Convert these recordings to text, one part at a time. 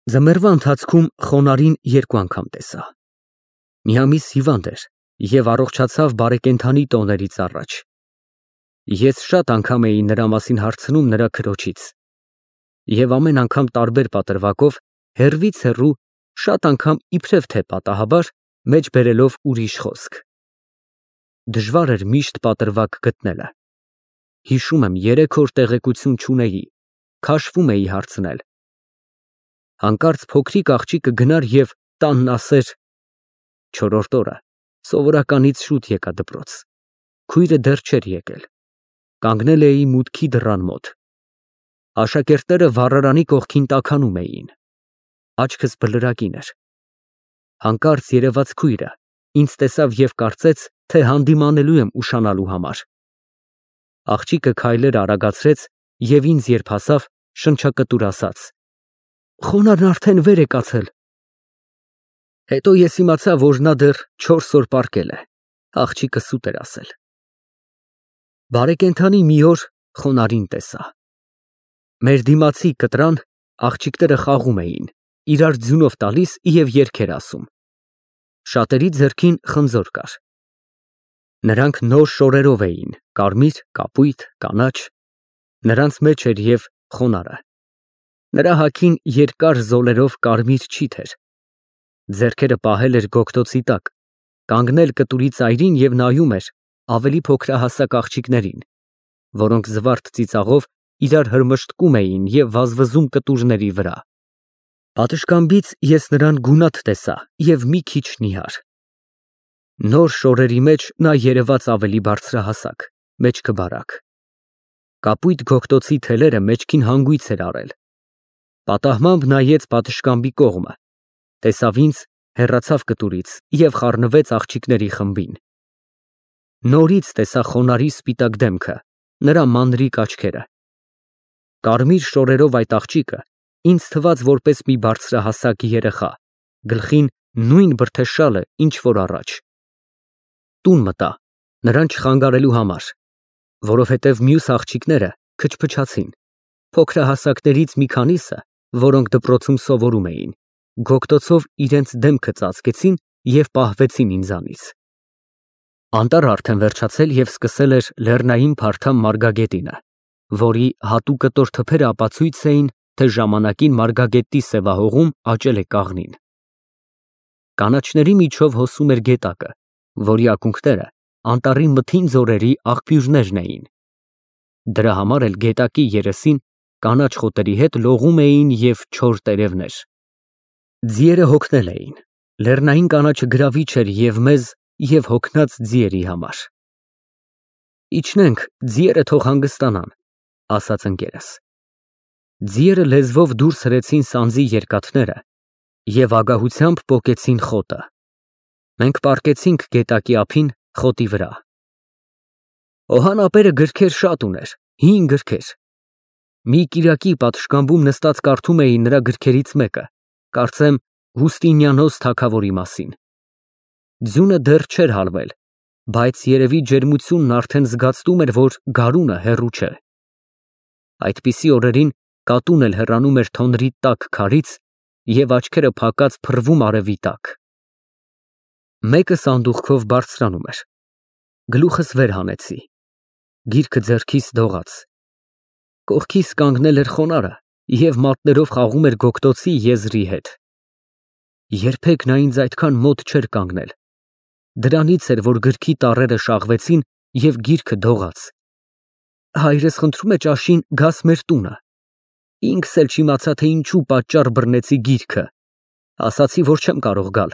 Ձմեռվա ընթացքում խոնարհին երկու անգամ տեսա։ Միամիս հիվանդ էր և առողջացավ բարեկենդանի տոներից առաջ։ Ես շատ անգամ էի նրա մասին հարցնում նրա քրոջից և ամեն անգամ տարբեր պատրվակով, հեռվից հեռու, շատ անգամ իբրև թե պատահաբար, մեջ բերելով ուրիշ խոսք։ Դժվար էր միշտ պատրվակ գտնելը։ Հիշում եմ, 3 օր տեղեկություն չունեի, քաշվում էի հարցնել։ Հանկարծ փոքրիկ աղջիկը գնար և տանն ասեր. Չորրորդ օրը սովորականից շուտ եկա դպրոց։ Քույրը դեռ չէր եկել։ Կանգնել էի մուտքի դռան մոտ։ Աշակերտները վառարանի կողքին տաքանում էին։ Աչքս բլրակին էր։ Հանկարծ երևաց քույրը, ինձ տեսավ և կարծեց, թե հանդիմանելու եմ ուշանալու համար։ Աղջիկը քայլեր արագացրեց և ինձ երբ հասավ, շնչակտուր ասաց. Խոնարհն արդեն վեր է կացել։ Հետո ես իմացա, որ նա դեռ 4 օր պառկել է, աղջիկը սուտ էր ասել։ Բարեկենդանի մի օր խոնարհին տեսա։ Մեր դիմացի կտրան աղջիկները խաղում էին, իրար ձյունով տալիս և երգեր ասում։ Շատերի ձեռքին խնձոր կար։ Նրանք նոր շորերով էին, կարմիր, կապույտ, կանաչ, նրանց մեջ էր և խոնարհը։ Նրա հագին երկար զոլերով կարմիր չիթ էր։ Ձեռքերը պահել էր գոգտոցի տակ, կանգնել կտուրի ծայրին և նայում էր ավելի փոքրահասակ աղջիկներին, որոնք զվարթ ծիծաղով իրար հրմշտկում էին և վազվզում կտուրների վրա։ Պատշգամբից ես նրան գունատ տեսա և մի քիչ նիհար։ Նոր շորերի մեջ նա երևաց ավելի բարձրահասակ, մեջքը բարակ։ Կապույտ գոգտոցի թելերը մեջքին հանգույց էր արել։ Պատահմամբ նայեց պատշգամբի կողմը, տեսավ ինձ, հեռացավ կտուրից և խառնվեց աղջիկների խմբին։ Նորից տեսա խոնարհի սպիտակ դեմքը, նրա մանրիկ աչքերը։ Կարմիր շորերով այդ աղջիկը ինձ թվաց որպես մի բարձրահասակ երեխա, գլխին նույն բրդեշալը, ինչ որ առաջ։ Տուն մտա, նրան չխանգարելու համար, որովհետև մյուս աղջիկները քչփչացին, փոքրահասակներից մի քանիսը, որոնք դպրոցում սովորում էին, գոգտոցով իրենց դեմքը ծածկեցին և պահվեցին ինձանից։ Անտառը արդեն վերջացել և սկսել էր լեռնային փարթամ մարգագետինը, որի հատուկտոր թփերը ապացույց էին, թե ժամանակին մարգագետի սևահողում աճել է կաղնին։ Կանաչների միջով հոսում էր գետակը, որի ակունքները անտառի մթին ձորերի աղբյուրներն էին։ Դրա համար էլ գետակի երեսին կանաչ խոտերի հետ լողում էին և չոր տերևներ։ Ձիերը հոգնել էին, լեռնային կանաչը գրավիչ էր և մեզ, և հոգնած ձիերի համար։ Իջնենք, ձիերը թող հանգստանան, ասաց ընկերս։ Ձիերը լեզվով դուրս հրեցին սանձի երկաթները և ագահությամբ պոկեցին խոտը։ Մենք պառկեցինք գետակի ափին, խոտի վրա։ Օհան ապերը գրքեր շատ ուներ, հին գրքեր։ Մի կիրակի պատշգամբում նստած կարդում էի նրա գրքերից մեկը, կարծեմ Հուստինիանոս թագավորի մասին։ Ձյունը դեռ չէր հալվել, բայց երևի ջերմությունն արդեն զգացվում էր, որ գարունը հեռու չէ։ Այդպիսի օրերին կատուն էլ հեռանում էր թոնրի տաք քարից և աչքերը փակած փռվում արևի տակ։ Մեկը սանդուղքով բարձրանում էր։ Գլուխս վեր հանեցի։ Գիրքը ձեռքիս դողաց։ Կողքիս կանգնել էր խոնարհը և մատներով խաղում էր գոգտոցի եզրի հետ։ Երբեք նա ինձ այդքան մոտ չէր կանգնել։ Դրանից էր, որ գրքի տառերը շաղվեցին և գիրքը դողաց։ Հայրս խնդրում է ճաշին գաս մեր տունը։ Ինքս էլ չիմացա, թե ինչու պատճառ բռնեցի գիրքը։ Ասացի, որ չեմ կարող գալ։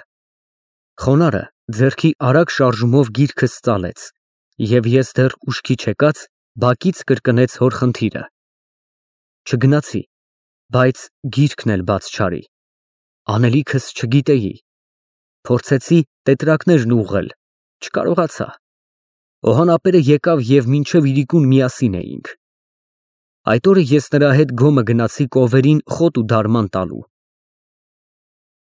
Խոնարհը ձեռքի արագ շարժումով գիրքս ծալեց, և ես դեռ ուշքի չեկած բակից կրկնեց հոր խնդիրը։ Չգնացի, բայց գիրքն էլ բաց չարի։ Անելիքս չգիտեի։ Փորձեցի տետրակներն ուղղել, չկարողացա։ Օհան ապերը եկավ և մինչև իրիկուն միասին էինք։ Այդ օրը ես նրա հետ գոմը գնացի կովերին խոտ ու դարման տալու։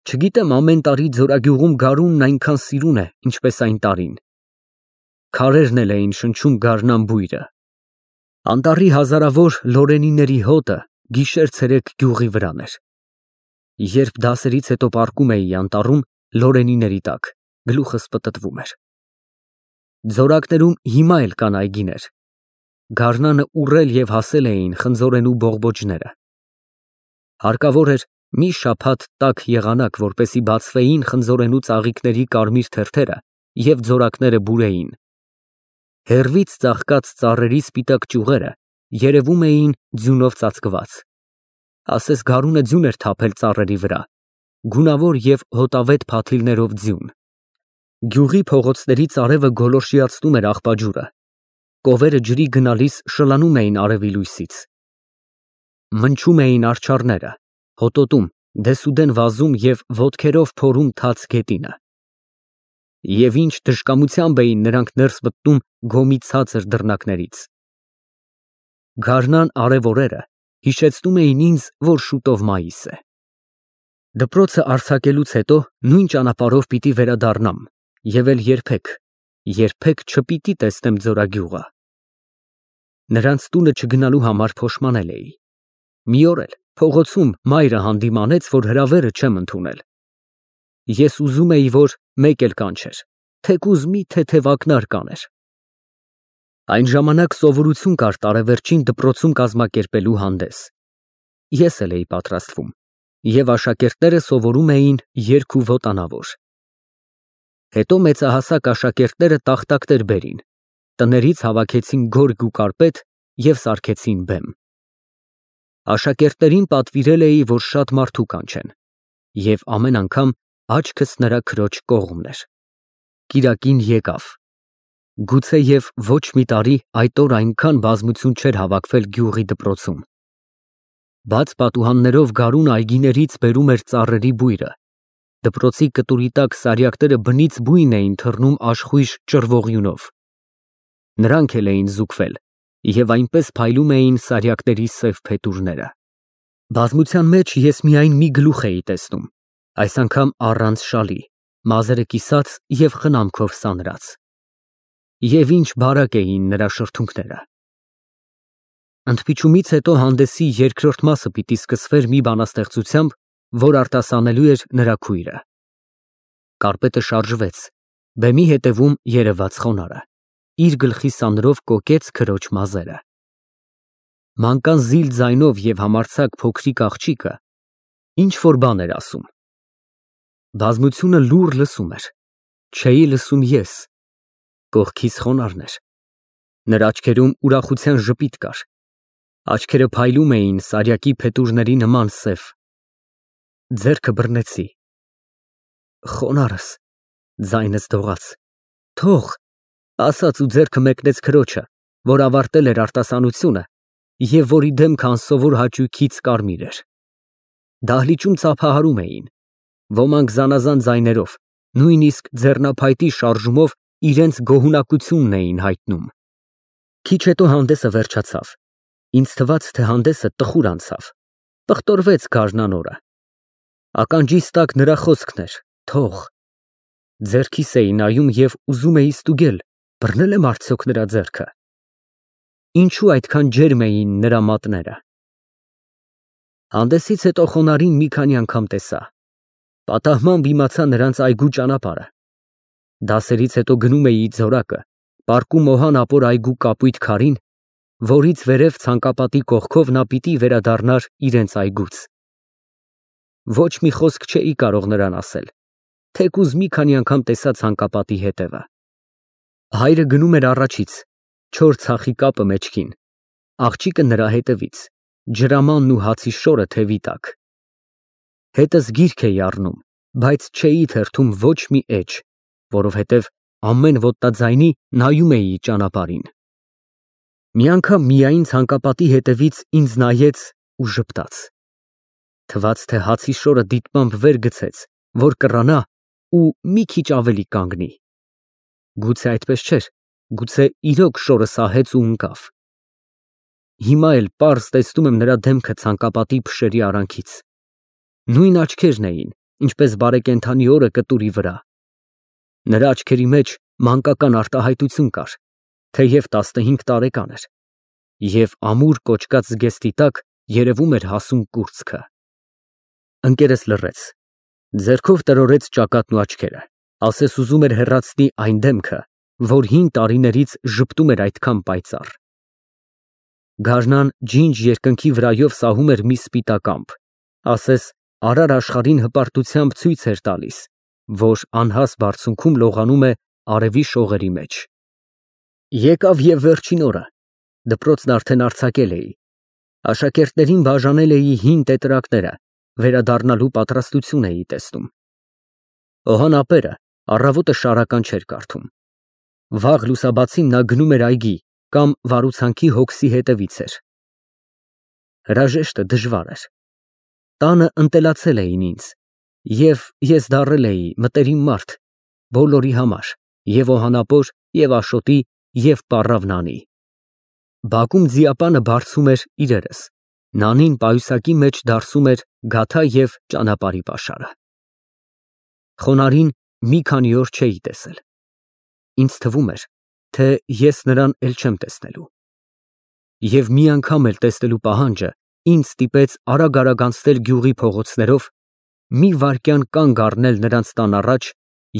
Չգիտեմ ամեն տարի ձորագյուղում գարունն այնքան սիրուն է, ինչպես այն տարին։ Քարերն էլ էին շնչում գարնան բույրը։ Անտառի հազարավոր լորենիների հոտը գիշեր֊ցերեկ գյուղի վրան էր։ Երբ դասերից հետո պառկում էի անտառում, լորենիների տակ, գլուխս պտտվում էր։ Ձորակներում հիմա էլ կան այգիներ։ Գարնանը ուռել և հասել էին խնձորենու բողբոջները։ Հարկավոր էր մի շաբաթ տաք եղանակ, որպեսզի բացվեին խնձորենու ծաղիկների կարմիր թերթերը և ձորակները բուրեին։ Հեռվից ծաղկած ծառերի սպիտակ ճյուղերը երևում էին ձյունով ծածկված։ Ասես գարունը ձյուն էր թափել ծառերի վրա, գունավոր և հոտավետ փաթիլներով ձյուն։ Գյուղի փողոցներից արևը գոլորշիացնում էր աղբաջուրը, կովերը ջրի գնալիս շլանում էին արևի լույսից։ Մնչում էին արջառները, հոտոտում, դեսուդեն վազում և ոտքերով փորում թաց գետինը։ Եվ ինչ դժկամությամբ էին նրանք ներս մտնում գոմի ցածր դռնակներից։ Գարնան արև օրերը հիշեցնում էին ինձ, որ շուտով մայիս է։ Դպրոցը արձակելուց հետո նույն ճանապարհով պիտի վերադառնամ և էլ երբեք չպիտի տեսնեմ Ձորագյուղը։ Նրանց տունը չգնալու համար փոշմանել էի։ Մի օր էլ փողոցում մայրը հանդիմանեց, որ հրավերը չեմ ընդունել։ Ես ուզում էի, որ մեկ էլ կանչեր, թեկուզ մի թեթև ակնարկ կաներ։ Այն ժամանակ սովորություն կար տարեվերջին դպրոցում կազմակերպելու հանդես։ Ես էլ էի պատրաստվում, և աշակերտները սովորում էին երգ ու ոտանավոր։ Հետո մեծահասակ աշակերտները տախտակներ բերին, տներից հավաքեցին գորգ ու կարպետ և սարքեցին բեմ։ Աշակերտներին պատվիրել էի, որ շատ մարդու կանչեն, և ամեն անգամ աչքս նրա քրոջ կողմն էր։ Կիրակին եկավ։ Գուցեև ոչ մի տարի այդ օր այնքան բազմություն չէր հավաքվել գյուղի դպրոցում։ Բաց պատուհաններով գարուն այգիներից բերում էր ծառերի բույրը։ Դպրոցի կտուրի տակ սարյակները բնից բույն էին թռնում աշխույժ ճռվողյունով։ Նրանք էլ էին զուգվել և այնպես փայլում էին սարյակների սև փետուրները։ Բազմության մեջ ես միայն մի գլուխ էի տեսնում, այս անգամ առանց շալի, մազերը կիսած և խնամքով սանրած։ Եվ ինչ բարակ էին նրա շրթունքները։ Ընդմիջումից հետո հանդեսի երկրորդ մասը պիտի սկսվեր մի բանաստեղծությամբ, որ արտասանելու էր նրա քույրը։ Կարպետը շարժվեց, բեմի հետևում երևաց խոնարհը, իր գլխի սանրով կոկեց քրոջ մազերը։ Մանկան զիլ ձայնով և համարձակ փոքրիկ աղջիկը ինչ-որ բան էր ասում։ Բազմությունը լուռ լսում էր, չէի լսում ես, կողքիս խոնարհն էր։ Նրա աչքերում ուրախության ժպիտ կար, աչքերը փայլում էին սարյակի փետուրների նման սև։ Ձեռքը բռնեցի։ Խոնարհս, ձայնս դողաց, թող, ասաց ու ձեռքը մեկնեց քրոջը, որ ավարտել էր արտասանությունը և որի դեմքը անսովոր հաճույքից կարմիր էր։ Դահլիճում ծափահարում էին, ոմանք զանազան ձայներով, նույնիսկ ձեռնափայտի շարժումով իրենց գոհունակությունն էին հայտնում։ Քիչ հետո հանդեսը վերջացավ։ Ինձ թվաց, թե հանդեսը տխուր անցավ, պղտորվեց գարնան օրը։ Ականջիս տակ նրա խոսքն էր, թող։ Ձեռքիս էի նայում և ուզում էի ստուգել, բռնել եմ արդյոք նրա ձեռքը։ Ինչու այդքան ջերմ էին նրա մատները։ Հանդեսից հետո խոնարհին մի քանի անգամ տեսա։ Պատահմամբ իմացա նրանց այգու ճանապարհը։ Դասերից հետո գնում էի ձորակը, պառկում Մոհան ապոր այգու կապույտ քարին, որից վերև ցանկապատի կողքով նա պիտի վերադառնար իրենց այգուց։ Ոչ մի խոսք չէի կարող նրան ասել, թեկուզ մի քանի անգամ տեսա ցանկապատի հետևը։ Հայրը գնում էր առաջից, չոր ցախի կապը մեջքին, աղջիկը նրա հետևից, ջրամանն ու հացի շորը թևի տակ։ Հետս գիրք էի առնում, բայց չէի թերթում ոչ մի էջ, որովհետև ամեն ոտնաձայնի նայում էի ճանապարհին։ Մի անգամ միայն ցանկապատի հետևից ինձ նայեց ու ժպտաց։ Թվաց, թե հացի շորը դիտմամբ վեր գցեց, որ կռանա ու մի քիչ ավելի կանգնի։ Գուցե այդպես չէր, գուցե իրոք շորը սահեց ու ընկավ։ Հիմա էլ պարզ տեսնում եմ նրա դեմքը ցանկապատի փշերի արանքից։ Նույն աչքերն էին, ինչպես բարեկենդանի օրը կտուրի վրա։ Նրա աչքերի մեջ մանկական արտահայտություն կար, թեև 15 տարեկան էր, և ամուր կոճկած զգեստի տակ երևում էր հասուն կուրծքը։ Ընկերս լռեց, ձեռքով տրորեց ճակատն ու աչքերը, ասես ուզում էր հեռացնի այն դեմքը, որ 5 տարիներից ժպտում էր այդքան պայծառ։ Գարնան ջինջ երկնքի վրայով սահում էր մի սպիտակ ամպ, ասես արար աշխարհին հպարտությամբ ցույց էր տալիս, որ անհաս բարձունքում լողանում է արևի շողերի մեջ։ Եկավ և վերջին օրը, դպրոցն արդեն արձակել էի, աշակերտներին բաժանել էի հին տետրակները, վերադառնալու պատրաստություն էի տեսնում։ Օհան ապերը առավոտը շարական չէր կարդում։ Վաղ լուսաբացին նա գնում էր այգի կամ վարուցանքի հոգսի հետևից էր։ Հրաժեշտը դժվար էր։ Տանը ընտելացել էին ինձ, և ես դառել էի մտերիմ մարդ, բոլորի համար, և օհանապոր, և Աշոտի, և պառավ Նանի։ Բակում ձիապանը բարձում էր իրերս, Նանին պայուսակի մեջ դարսում էր գաթա և ճանապարհի պաշարը։ Խոնարհին մի քանի օր չէի տեսել։ Ինձ թվում էր, թե ես նրան էլ չեմ տեսնելու։ Եվ մի անգամ էլ տեսնելու պահանջը ինձ ստիպեց արագ անցնել գյուղի փողոցներով, մի վայրկյան կանգ առնել նրանց տան առաջ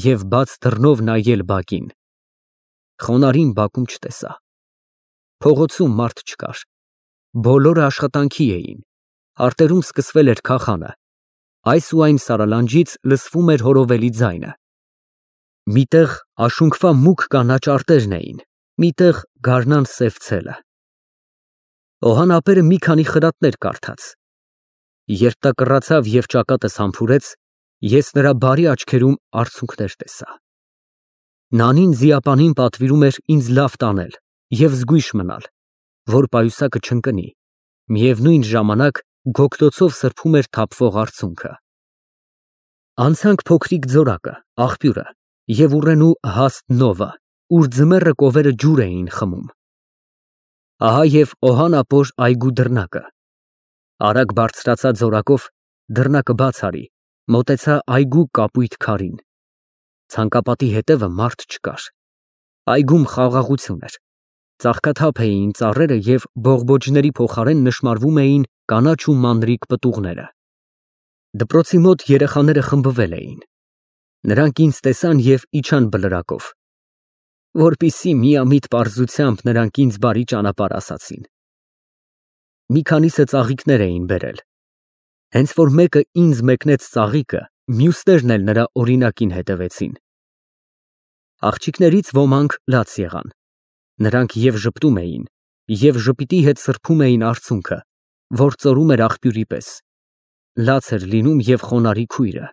և բաց դռնով նայել բակին։ Խոնարհին բակում չտեսա։ Փողոցում մարդ չկար։ Բոլորը աշխատանքի էին։ Արտերում սկսվել էր քախանը։ Այս ու այն սարալանջից լսվում էր հորովելի ձայնը։ Միտեղ աշունքվա մուգ կանաչ արտերն էին, միտեղ գարնան սև ցելը։ Օհան ապերը մի քանի խրատներ կարդաց։ Երբ նա կռացավ և ճակատս համբուրեց, ես նրա բարի աչքերում արցունքներ տեսա։ Նանին ձիապանին պատվիրում էր ինձ լավ տանել և զգույշ մնալ, որ պայուսակը չընկնի, միևնույն ժամանակ գոգտոցով սրբում էր թափվող արցունքը։ Անցանք փոքրիկ ձորակը, աղբյուրը և ուռենու հաստ նովը, ուր ձմեռը կովերը ջուր էին խմում։ Ահա և Օհան ապոր այգու դռնակը։ Արագ բարձրացա ձորակով, դռնակը բաց արի, մոտեցա այգու կապույտ քարին։ Ցանկապատի հետևը մարդ չկար։ Այգում խաղաղություն էր։ Ծաղկաթափ էին ծառերը և բողբոջների փոխարեն նշմարվում էին կանաչ ու մանրիկ պտուղները։ Դպրոցի մոտ երեխաները խմբվել էին։ Նրանք ինձ տեսան և իջան բլրակով, որպեսզի միամիտ պարզությամբ նրանք ինձ բարի ճանապարհ ասացին։ Մի քանիսը ծաղիկներ էին բերել։ Հենց որ մեկը ինձ մեկնեց ծաղիկը, մյուսներն էլ նրա օրինակին հետևեցին։ Աղջիկներից ոմանք լաց եղան։ Նրանք և ժպտում էին, և ժպիտի հետ սրբում էին արցունքը, որ ծորում էր աղբյուրի պես։ Լաց էր լինում և խոնարհի քույրը։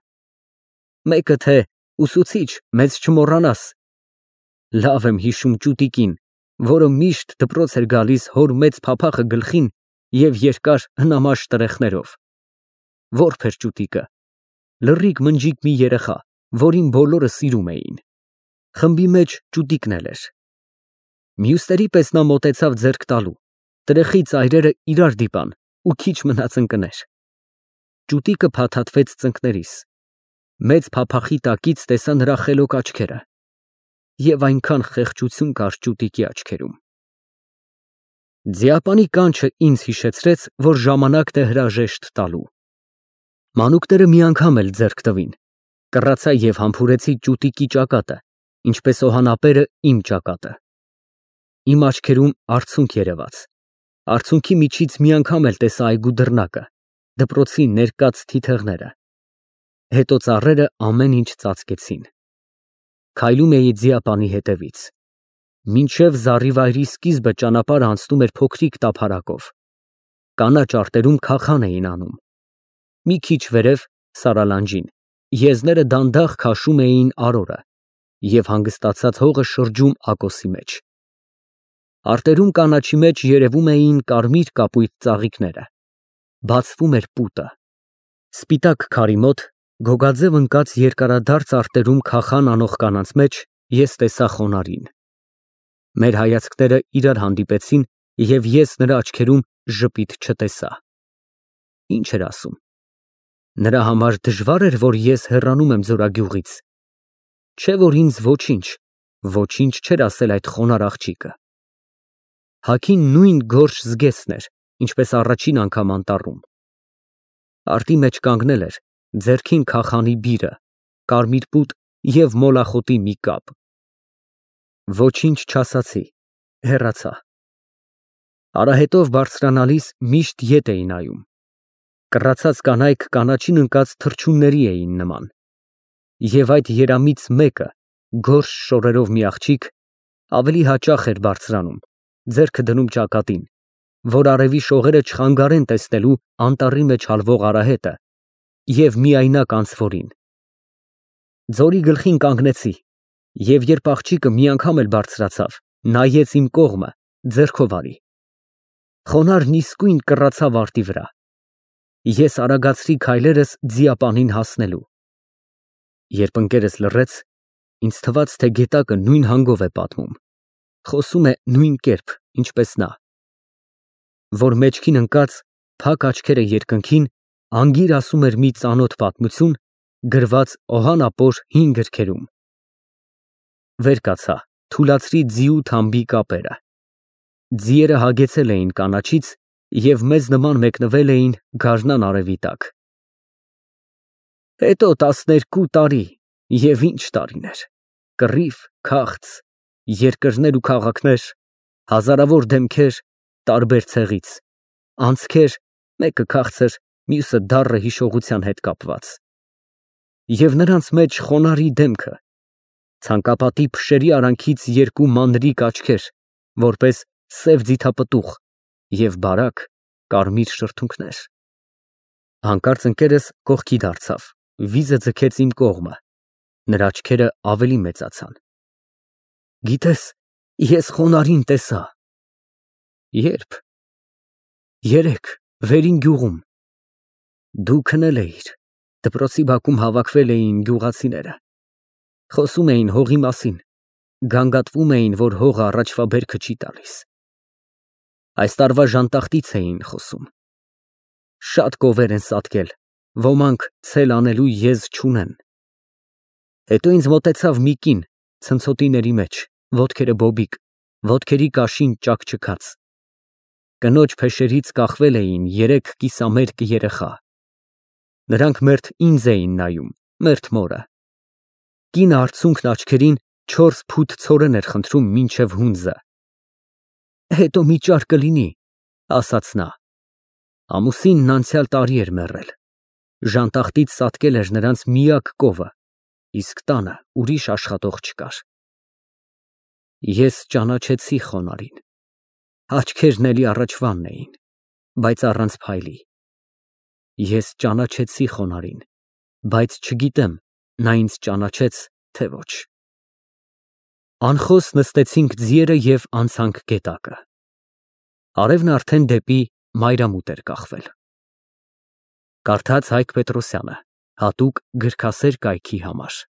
Մեկը թե «Ուսուցիչ, մեզ չմոռանաս»։ Լավ եմ հիշում ճուտիկին, որը միշտ դպրոց էր գալիս հոր մեծ փափախը գլխին և երկար հնամաշ տրեխներով։ Որբ էր ճուտիկը։ Լռիկ մնջիկ մի երեխա, որին բոլորը սիրում էին։ Խմբի մեջ ճուտիկն էլ էր։ Մյուսների պես նա մոտեցավ ձեռք տալու, տրեխի ծայրերը իրար դիպան ու քիչ մնաց ընկներ։ Ճուտիկը փաթաթվեց ծնկներիս։ Մեծ փափախի տակից տեսա նրա խելոք աչքերը, և այնքան խեղճություն կար ճուտիկի աչքերում։ Ձիապանի կանչը ինձ հիշեցրեց, որ ժամանակն է հրաժեշտ տալու։ Մանուկները մի անգամ էլ ձեռք տվին։ Կռացա և համբուրեցի ճուտիկի ճակատը, ինչպես Օհան ապերը իմ ճակատը։ Իմ աչքերում արցունք երևաց։ Արցունքի միջից մի անգամ էլ տեսա այգու դռնակը, դպրոցի ներկած թիթեղները։ Հետո ծառերը ամեն ինչ ծածկեցին։ Քայլում էի ձիապանի հետևից։ Մինչև զառիվայրի սկիզբը ճանապարհը անցնում էր փոքրիկ տափարակով։ Կանաչ արտերում քախան էին անում։ Մի քիչ վերև, սարալանջին, եզները դանդաղ քաշում էին արորը, և հանգստացած հողը շրջում ակոսի մեջ։ Արտերում կանաչի մեջ երևում էին կարմիր կապույտ ծաղիկները։ Բացվում էր պուտը։ Սպիտակ քարի մոտ, գոգաձև ընկած երկարադարձ արտերում քախան անող կանանց մեջ ես տեսա Խոնարհին։ Մեր հայացքները իրար հանդիպեցին, և ես նրա աչքերում ժպիտ չտեսա։ Ինչ էր ասում։ Նրա համար դժվա՞ր էր, որ ես հեռանում եմ ձորագյուղից։ Չէ՞ որ ինձ ոչինչ չէր ասել այդ խոնարհ աղջիկը։ Հագին նույն գորշ զգեստն էր, ինչպես առաջին անգամ անտառում։ Արտի մեջ կանգնել էր, ձեռքին քախանի բիրը, կարմիր պուտ և մոլախոտի մի կապ։ Ոչինչ չասացի, հեռացա։ Արահետով բարձրանալիս միշտ ետ էի նայում։ Կռացած կանայք կանաչին ընկած թռչունների էին նման։ Եվ այդ երամից մեկը, գորշ շորերով մի աղջիկ, ավելի հաճախ էր բարձրանում, ձեռքը դնում ճակատին, որ արևի շողերը չխանգարեն տեսնելու անտառի մեջ հալվող արահետը և միայնակ անցվորին։ Ձորի գլխին կանգնեցի, և երբ աղջիկը մի անգամ էլ բարձրացավ, նայեց իմ կողմը, ձեռքով արի։ Խոնարհն իսկույն կռացավ արտի վրա։ Ես արագացրի քայլերս ձիապանին հասնելու։ Երբ ընկերս լռեց, ինձ թվաց, թե գետակը նույն հանգով է պատմում, խոսում է նույն կերպ, ինչպես նա, որ մեջքին ընկած, փակ աչքերը երկնքին, անգիր ասում էր մի ծանոթ պատմություն, գրված օհանապոր հին գրքերում։ Վեր կացա, թուլացրի ձիու թամբի կապերը։ Ձիերը հագեցել էին կանաչից և մեզ նման մեկնվել էին գարնան արևի տակ։ Հետո 12 տարի, և ինչ տարիներ, կռիվ, քաղց, երկրներ ու քաղաքներ, հազարավոր դեմքեր տարբեր ցեղից, անցքեր, մեկը քաղցր, մյուսը դառը հիշողության հետ կապված։ Եվ նրանց մեջ խոնարհի դեմքը, ցանկապատի փշերի արանքից երկու մանրիկ աչքեր, որպես սև ձիթապտուղ և բարակ կարմիր շրթունքներ։ Հանկարծ ընկերս կողքի դարձավ, վիզը ձգեց իմ կողմը, նրա աչքերը ավելի մեծացան։ Գիտես, ես խոնարհին տեսա։ Ե՞րբ։ Երեկ, վերին գյուղում։ Դու քնել էիր, դպրոցի բակում հավաքվել էին գյուղացիները, խոսում էին հողի մասին, գանգատվում էին, որ հողը առաջվա բերքը չի տալիս։ Այս տարվա ժանտախտից էին խոսում։ Շատ կովեր են սատկել, ոմանք ցել անելու եզ չունեն։ Հետո ինձ մոտեցավ մի կին, ցնցոտիների մեջ, ոտքերը բոբիկ, ոտքերի կաշին ճաքճքած։ Կնոջ փեշերից կախվել էին 3 կիսամերկ երեխա։ Նրանք մերթ ինձ էին նայում, մերթ մորը։ Կինը արցունքն աչքերին 4 փութ ցորեն էր խնդրում մինչև հունձը։ Հետո մի ճար կլինի, ասաց նա։ Ամուսինն անցյալ տարի էր մեռել։ Ժանտախտից սատկել էր նրանց միակ կովը, իսկ տանը ուրիշ աշխատող չկար։ Ես ճանաչեցի խոնարհին։ Աչքերն էլի առաջվանն էին, բայց առանց փայլի։ Ես ճանաչեցի խոնարհին, բայց չգիտեմ, նա ինձ ճանաչեց, թե ոչ։ Անխոս նստեցինք ձիերը և անցանք գետակը։ Արևն արդեն դեպի մայրամուտ էր կախվել։ Կարդաց Հայկ Պետրոսյանը, հատուկ գրքասեր կայքի համար։